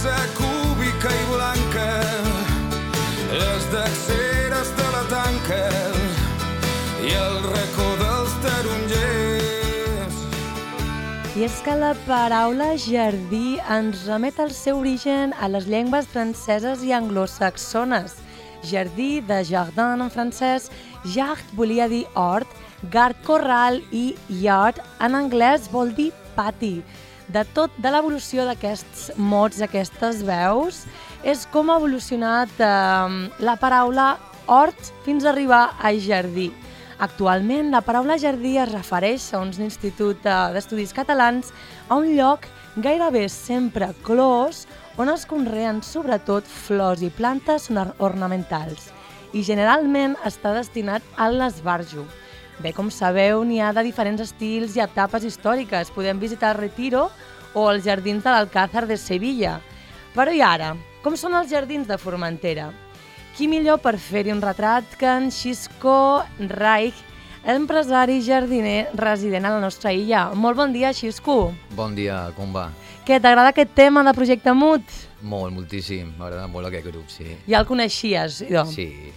casa cúbica i blanca, les deceres de la tanca i el racó dels tarongers. I és que la paraula jardí ens remet al seu origen a les llengües franceses i anglosaxones. Jardí, de jardin en francès, jard volia dir hort, gard corral i yard en anglès vol dir pati. De l'evolució d'aquests mots, aquestes veus, és com ha evolucionat la paraula hort fins a arribar a jardí. Actualment, la paraula jardí es refereix, segons l'Institut d'Estudis Catalans, a un lloc gairebé sempre clos on es conreen sobretot flors i plantes ornamentals i generalment està destinat a l'esbarjo. Bé, com sabeu, n'hi ha de diferents estils i etapes històriques. Podem visitar el Retiro o els jardins de l'Alcázar de Sevilla. Però i ara, com són els jardins de Formentera? Qui millor per fer-hi un retrat que en Xisco Reich, empresari jardiner resident a la nostra illa. Molt bon dia, Xisco. Bon dia, com va? Què, t'agrada aquest tema de Projecte Mut? Molt, moltíssim. M'agrada molt aquest grup, sí. Ja el coneixies, idò? Sí.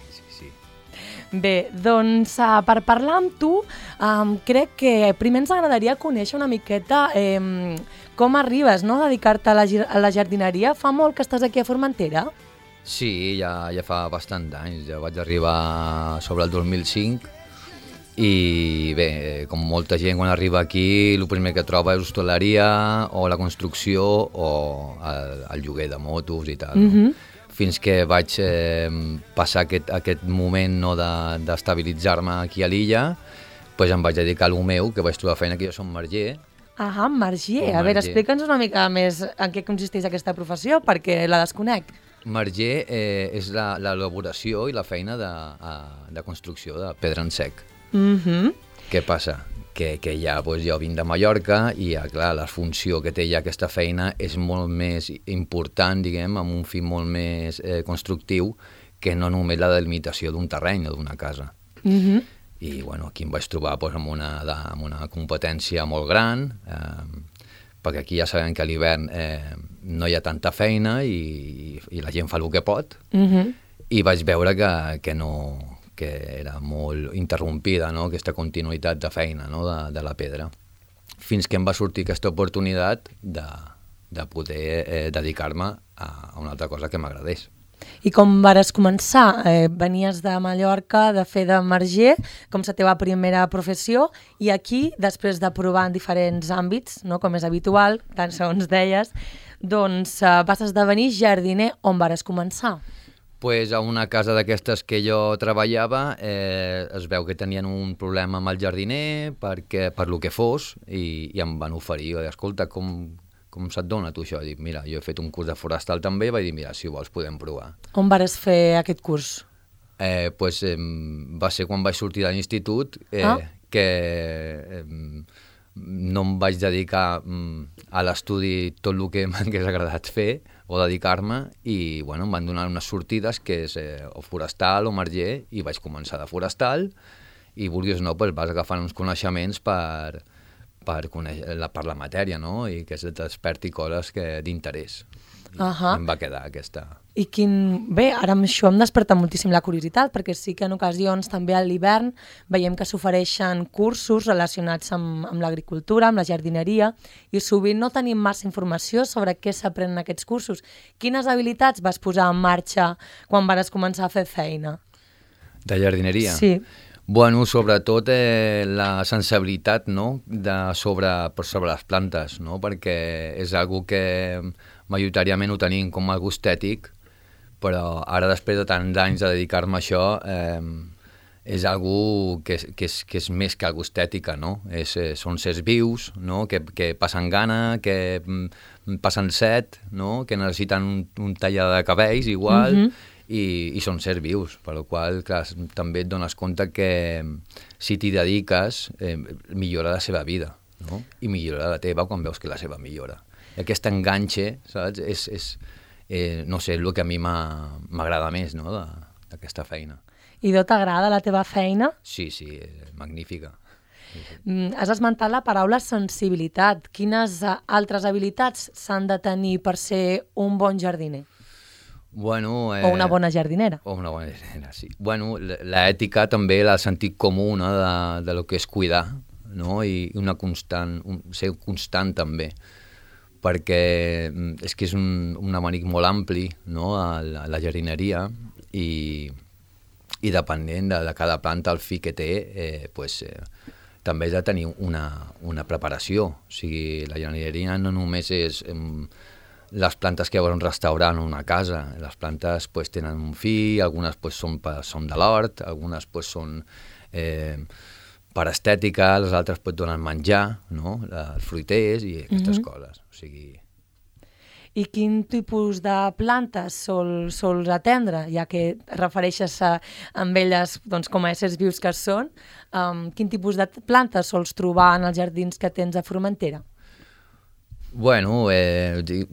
Bé, doncs per parlar amb tu, crec que primer ens agradaria conèixer una miqueta com arribes, no?, a dedicar-te a la jardineria. Fa molt que estàs aquí a Formentera? Sí, ja fa bastant d'anys. Ja vaig arribar sobre el 2005 i bé, com molta gent quan arriba aquí, el primer que troba és hostaleria o la construcció o el lloguer de motos i tal. No? Fins que vaig passar aquest moment d'estabilitzar-me aquí a l'illa, doncs em vaig dedicar a lo meu, que vaig trobar feina, que jo som marger. Ah, marger. A veure, explica'ns una mica més en què consisteix aquesta professió, perquè la desconec. Marger és l'elaboració i la feina de construcció de pedra en sec. Què passa? Que ja jo vinc de Mallorca i clar, la funció que té ja aquesta feina és molt més important, diguem, amb un fi molt més constructiu que no només la delimitació d'un terreny o d'una casa. I bueno, aquí em vaig trobar amb una competència molt gran, perquè aquí ja sabem que a l'hivern no hi ha tanta feina i la gent fa el que pot, i vaig veure que era molt interrompida, no?, aquesta continuïtat de feina, no?, de la pedra, fins que em va sortir aquesta oportunitat de poder dedicar-me a una altra cosa que m'agradés. I com vares començar? Venies de Mallorca, de fer de marger, com la teva primera professió, i aquí, després de provar en diferents àmbits, no?, com és habitual, tant segons deies, doncs vas esdevenir jardiner. On vares començar? Pues a una casa d'aquestes que jo treballava es veu que tenien un problema amb el jardiner per lo que fos i em van oferir, escolta, com se't dona tu això? Dic, mira, jo he fet un curs de forestal també, vaig dir, mira, si vols podem provar. On vares fer aquest curs? Pues va ser quan vaig sortir de l'institut que no em vaig dedicar a l'estudi tot el que m'hagués agradat fer o dedicar-me i bueno, em van donar unes sortides que és o forestal o marger i vaig començar de forestal i vulguis o no, pues, vas agafant uns coneixements per la matèria, no? I que es desperti coses d'interès. Em va quedar aquesta... I Bé, ara amb això em desperta moltíssim la curiositat, perquè sí que en ocasions també a l'hivern veiem que s'ofereixen cursos relacionats amb l'agricultura, amb la jardineria, i sovint no tenim massa informació sobre què s'aprenen aquests cursos. Quines habilitats vas posar en marxa quan vas començar a fer feina? De jardineria? Sí. Bueno, sobretot la sensibilitat, no?, sobre les plantes, no?, perquè és algo que majoritàriament ho tenim com algo estètic, però ara després de tants anys de dedicar-me a això és algo que és més que algo estètica, no? Són sers vius, no?, que passen gana, que passen set, no?, que necessiten un tallar de cabells igual, i són sers vius, per la qual clar, també et dones compte que si t'hi dediques millora la seva vida, no? I millora la teva quan veus que la seva millora. Aquest enganxe, saps? No sé, és el que a mi m'agrada més, no?, d'aquesta feina. I t'agrada la teva feina? Sí, magnífica. Has esmentat la paraula sensibilitat. Quines altres habilitats s'han de tenir per ser un bon jardiner? Bueno, o una bona jardinera. O una bona jardinera, sí. Bueno, l'ètica també, el sentit comú, no?, de lo que és cuidar, no?, i una constant, ser constant també, perquè és que és un abanic molt ampli, no?, a la jardineria, i depenent de cada planta, el fi que té, també has de tenir una preparació. O sigui, la jardineria no només és les plantes que hi ha en un restaurant o una casa. Les plantes tenen un fi, algunes són de l'hort, algunes són per estètica, les altres donen menjar, no?, els fruiters i aquestes coses. O sigui... I quin tipus de plantes sols atendre, ja que refereixes amb elles com a éssers vius que són? Quin tipus de plantes sols trobar en els jardins que tens a Formentera? Bueno,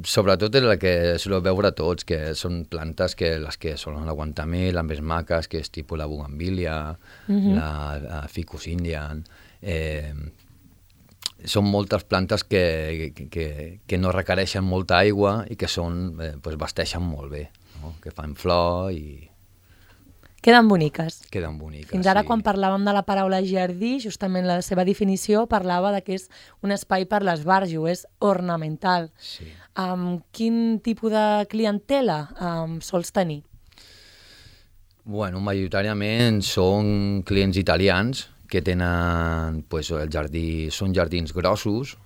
sobretot la que soleu veure tots, que són plantes les que solen aguantar més, les més maques, que és tipus la bugambília, la ficus indian. Són moltes plantes que no requereixen molta aigua i que vesteixen molt bé, no?, que fan flor i... Queden boniques. Queden boniques, Fins ara, sí. quan parlàvem de la paraula jardí, justament la seva definició parlava que és un espai per l'esbarjo, és ornamental. Sí. Quin tipus de clientela sols tenir? Bueno, majoritàriament són clients italians que tenen el jardí, són jardins grossos,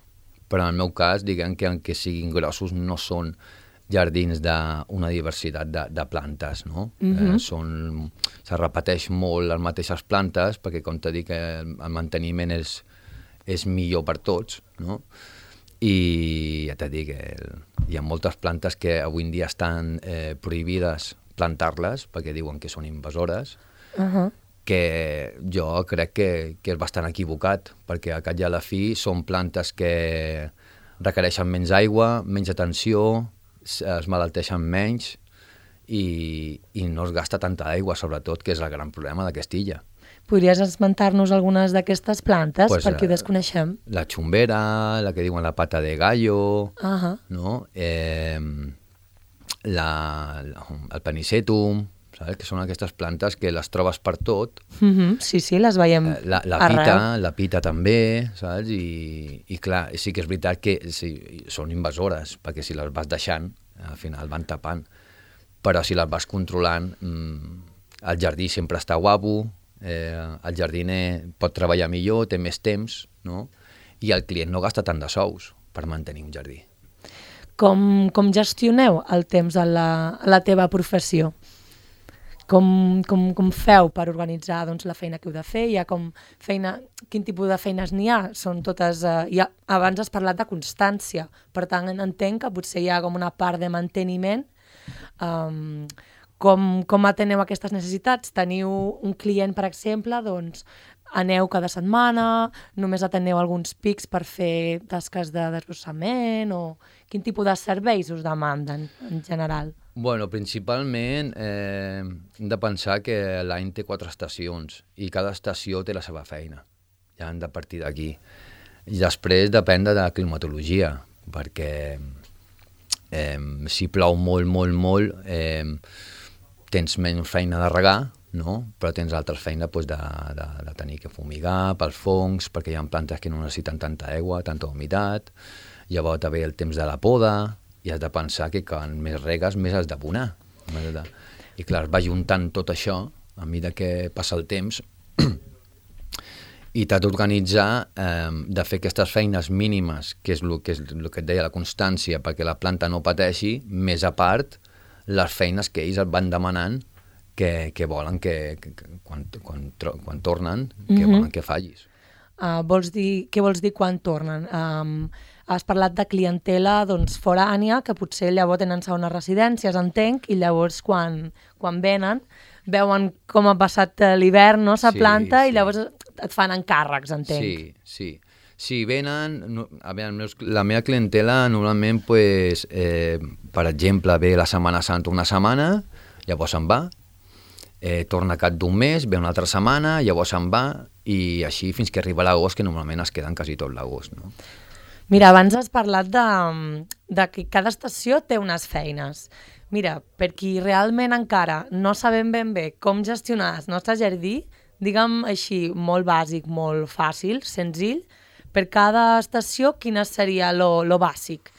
però en el meu cas, diguem que encara siguin grossos, no són jardins d'una diversitat de plantes, no? Se repeteix molt les mateixes plantes, perquè, com t'he dit, el manteniment és millor per tots, no? I ja t'he dit que hi ha moltes plantes que avui en dia estan prohibides plantar-les, perquè diuen que són invasores, que jo crec que és bastant equivocat, perquè a cap i a la fi són plantes que requereixen menys aigua, menys atenció, es malalteixen menys i no es gasta tanta aigua, sobretot, que és el gran problema d'aquesta illa. Podries esmentar-nos algunes d'aquestes plantes, per qui ho desconeixem? La xumbera, la que diuen la pata de gallo, no? El panicetum, saps? Que són aquestes plantes que les trobes per tot. Sí, les veiem arreu. La pita també, saps? I clar, sí que és veritat que són invasores, perquè si les vas deixant, al final van tapant. Però si les vas controlant, el jardí sempre està guapo, el jardiner pot treballar millor, té més temps, no? I el client no gasta tant de sous per mantenir un jardí. Com gestioneu el temps a la teva professió? Com feu per organitzar la feina que heu de fer? Quin tipus de feines n'hi ha? Són totes... abans has parlat de constància, per tant entenc que potser hi ha com una part de manteniment. Com ateneu aquestes necessitats? Teniu un client, per exemple, aneu cada setmana, només ateneu alguns pics per fer tasques de desbrossament, o quin tipus de serveis us demanden en general? Bueno, principalment hem de pensar que l'any té 4 estacions i cada estació té la seva feina. Ja hem de partir d'aquí. I després depèn de la climatologia, perquè si plou molt, molt, molt, tens menys feina de regar, no? Però tens altres feina de tenir que fumigar pels fongs, perquè hi ha plantes que no necessiten tanta aigua, tanta humitat. Llavors també el temps de la poda, i has de pensar que quan més regues més has d'abonar. I clar, es va juntant tot això a mesura que passa el temps i t'has d'organitzar de fer aquestes feines mínimes, que és el que et deia, la constància, perquè la planta no pateixi, més a part les feines que ells et van demanant que volen que quan tornen, que volen que fallis. Què vols dir quan tornen? Has parlat de clientela forània, que potser llavors tenen segones residències, entenc, i llavors quan venen, veuen com ha passat l'hivern, no, la planta, i llavors et fan encàrrecs, entenc. Sí, venen... La meva clientela normalment, per exemple, ve la Setmana Santa una setmana, llavors se'n va, torna a cap d'un mes, ve una altra setmana, llavors se'n va, i així fins que arriba l'agost, que normalment es queden quasi tot l'agost, no? Mira, abans has parlat de que cada estació té unes feines. Mira, per qui realment encara no sabem ben bé com gestionar el nostre jardí, diguem així, molt bàsic, molt fàcil, senzill, per cada estació quina seria lo bàsic?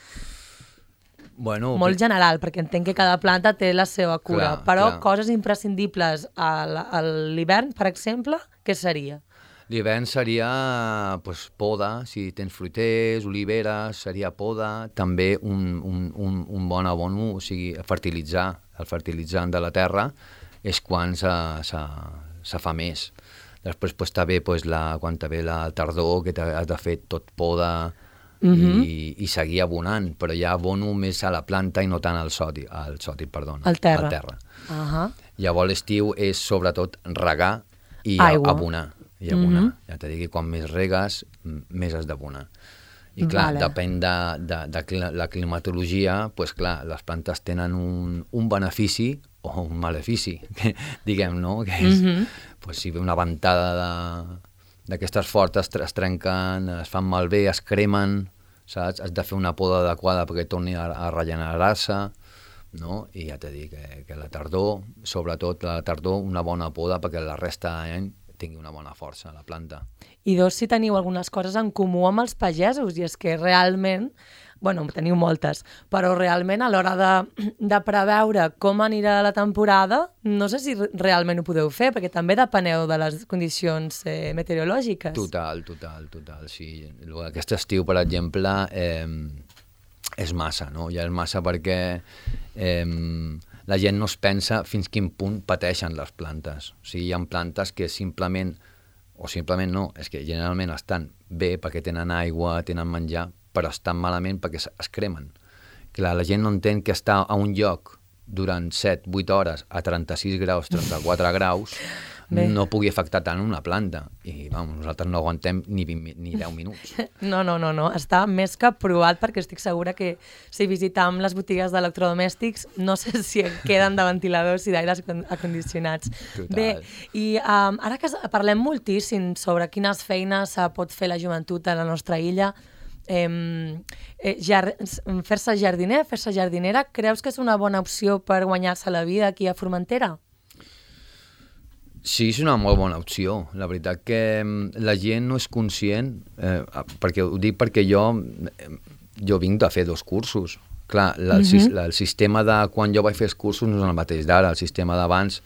Bueno, molt general, perquè entenc que cada planta té la seva cura, però clar. Coses imprescindibles a l'hivern, per exemple, què seria? L'hivern seria poda, si tens fruiters, oliveres, seria poda, també un bon abono, o sigui, fertilitzar, el fertilitzant de la terra és quan se fa més. Després també quan ve la tardor, que has de fer tot poda i seguir abonant, però ja abono més a la planta i no tant al terra. Llavors l'estiu és sobretot regar i abonar. Ja t'he dit que quan més regues, més has d'abonar. I clar, depèn de la climatologia, les plantes tenen un benefici o un malefici, diguem, no? Que és, si ve una ventada d'aquestes fortes, es trenquen, es fan malbé, es cremen, saps? Has de fer una poda adequada perquè torni a regenerar-se, no? I ja t'he dit que la tardor, sobretot la tardor, una bona poda perquè la resta de l'any tingui una bona força a la planta. I si teniu algunes coses en comú amb els pagesos, i és que realment, teniu moltes, però realment a l'hora de preveure com anirà la temporada, no sé si realment ho podeu fer, perquè també depeneu de les condicions meteorològiques. Total, sí. Aquest estiu, per exemple, és massa, no? Ja és massa perquè la gent no es pensa fins quin punt pateixen les plantes. O sigui, hi ha plantes que simplement no, és que generalment estan bé perquè tenen aigua, tenen menjar, però estan malament perquè es cremen. Clar, la gent no entén que estar a un lloc durant 7-8 hores a 36 graus, 34 graus, no pugui afectar tant una planta. I nosaltres no aguantem ni 10 minuts. No, està més que provat, perquè estic segura que si visitam les botigues d'electrodomèstics no sé si queden de ventiladors i d'aires acondicionats. Total. Bé, i ara que parlem moltíssim sobre quines feines pot fer la joventut a la nostra illa, fer-se jardiner, fer-se jardinera, creus que és una bona opció per guanyar-se la vida aquí a Formentera? Sí, és una molt bona opció. La veritat que la gent no és conscient, ho dic perquè jo vinc de fer 2 cursos. Clar, el sistema de quan jo vaig fer els cursos no és el mateix d'ara. El sistema d'abans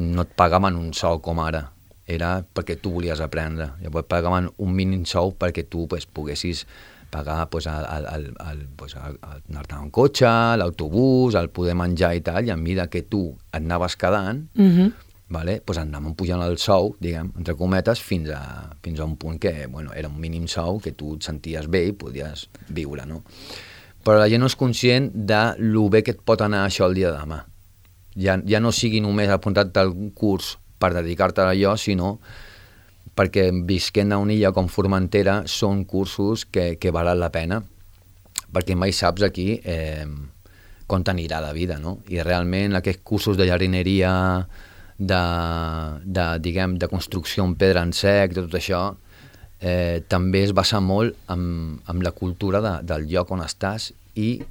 no et pagaven un sou com ara. Era perquè tu volies aprendre. Llavors pagaven un mínim sou perquè tu poguessis pagar anar-te en cotxe, l'autobús, el poder menjar i tal, i a mesura que tu et anaves quedant, anàvem pujant el sou, diguem, entre cometes, fins a un punt que era un mínim sou que tu et senties bé i podies viure, no? Però la gent no és conscient de lo bé que et pot anar això el dia de demà. Ja no sigui només apuntar-te a un curs per dedicar-te a allò, sinó perquè visquent a una illa com Formentera són cursos que valen la pena, perquè mai saps aquí com t'anirà la vida, no? I realment aquests cursos de jardineria, de construcció en pedra en sec, tot això, també es basa molt en la cultura del lloc on estàs i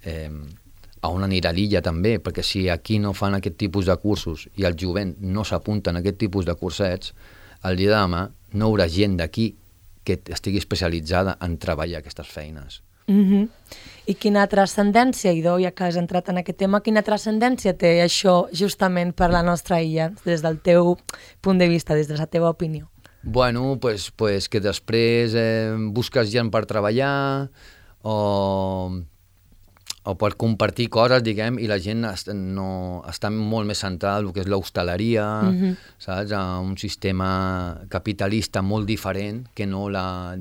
a on anirà l'illa també, perquè si aquí no fan aquest tipus de cursos i el jovent no s'apunten a aquest tipus de cursets, el dia de demà no hi haurà gent d'aquí que estigui especialitzada en treballar aquestes feines. I quina transcendència, Idó, ja que has entrat en aquest tema, quina transcendència té això justament per la nostra illa, des del teu punt de vista, des de la teva opinió? Bueno, pues que després busques gent per treballar o per compartir coses, diguem, i la gent està molt més centrada en el que és l'hostaleria, saps? Un sistema capitalista molt diferent que no la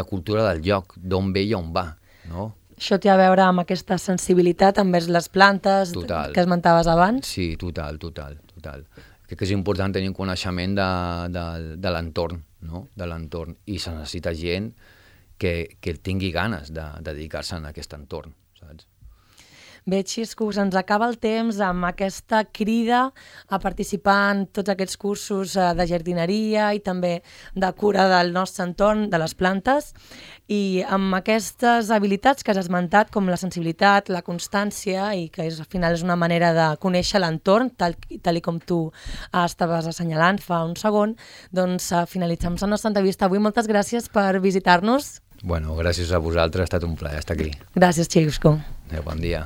cultura del lloc, d'on ve i on va, no? Això té a veure amb aquesta sensibilitat envers les plantes que esmentaves abans? Sí, total. Crec que és important tenir un coneixement de l'entorn, no? De l'entorn, i se necessita gent que tingui ganes de dedicar-se a aquest entorn, saps? Bé, Xisco, se'ns acaba el temps amb aquesta crida a participar en tots aquests cursos de jardineria i també de cura del nostre entorn, de les plantes, i amb aquestes habilitats que has esmentat, com la sensibilitat, la constància, i que al final és una manera de conèixer l'entorn, tal com tu estaves assenyalant fa un segon, doncs finalitzem la nostra entrevista avui. Moltes gràcies per visitar-nos. Bueno, gràcies a vosaltres, ha estat un plaer estar aquí. Gràcies, Xisco. Bon dia.